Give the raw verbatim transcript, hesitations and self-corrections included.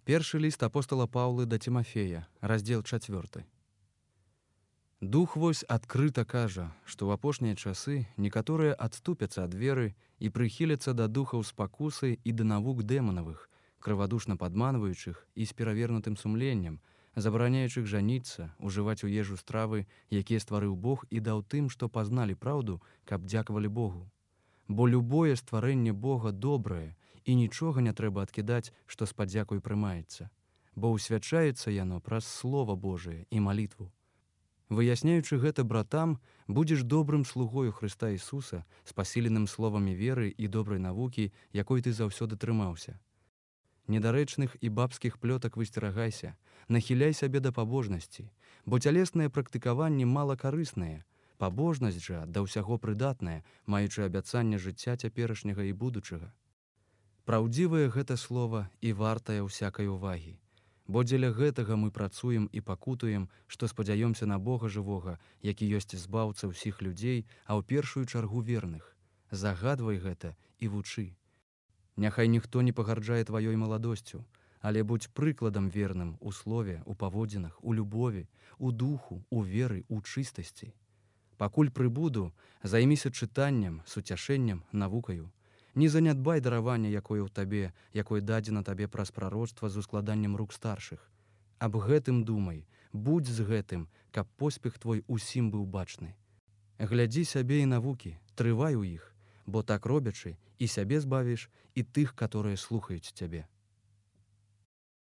Першы ліст апостала Паўлы да Цімафея, раздзел чацвёрты. Дух вось адкрыта кажа, што ў апошнія часы некаторыя адступяцца ад веры і прыхіляцца да духаў спакусы і да навук дэманавых, крывадушна падманваючых і з перавернутым сумленнем, забараняючых жаніцца, ужываць у ежу стравы, якія стварыў Бог і даў тым, што пазналі праўду, каб дзякавалі Богу. Бо любое стварэнне Бога добрае, і нічога не трэба адкідаць, што з падзякою прымаецца, бо ўсвячаецца яно праз Слова Божае і малітву. Выясняючы гэта братам, будзеш добрым слугою Хрыста Ісуса, з пасіленым словамі веры і добрай навукі, якой ты заўсёды трымаўся. Недарэчных і бабскіх плётак высцерагайся, нахіляй сябе да пабожнасці, бо цялеснае практыкаванне мала карыснае, пабожнасць жа да ўсяго прыдатная, маючы абяцанне жыцця цяперашняга і будучага. Праўдзівае гэта слова і вартае ўсякай увагі, бо дзеля гэтага мы працуем і пакутуем, што спадзяёмся на Бога жывога, які ёсць збаўца ўсіх людзей, а ў першую чаргу верных. Загадвай гэта і вучы. Няхай ніхто не пагарджае тваёй маладосцю, але будзь прыкладам верным у слове, у паводзінах, у любові, у духу, у веры, у чыстасці. Пакуль прыбуду, займіся чытаннем, суцяшэннем, навукаю. Не занядбай даравання, якое ў табе, якое дадзена табе праз прароцтва з ускладаннем рук старшых. Аб гэтым думай, будзь з гэтым, каб поспех твой усім быў бачны. Глядзі сябе і навукі, трывай у іх, бо так робячы, і сябе збавіш, і тых, каторыя слухаюць цябе.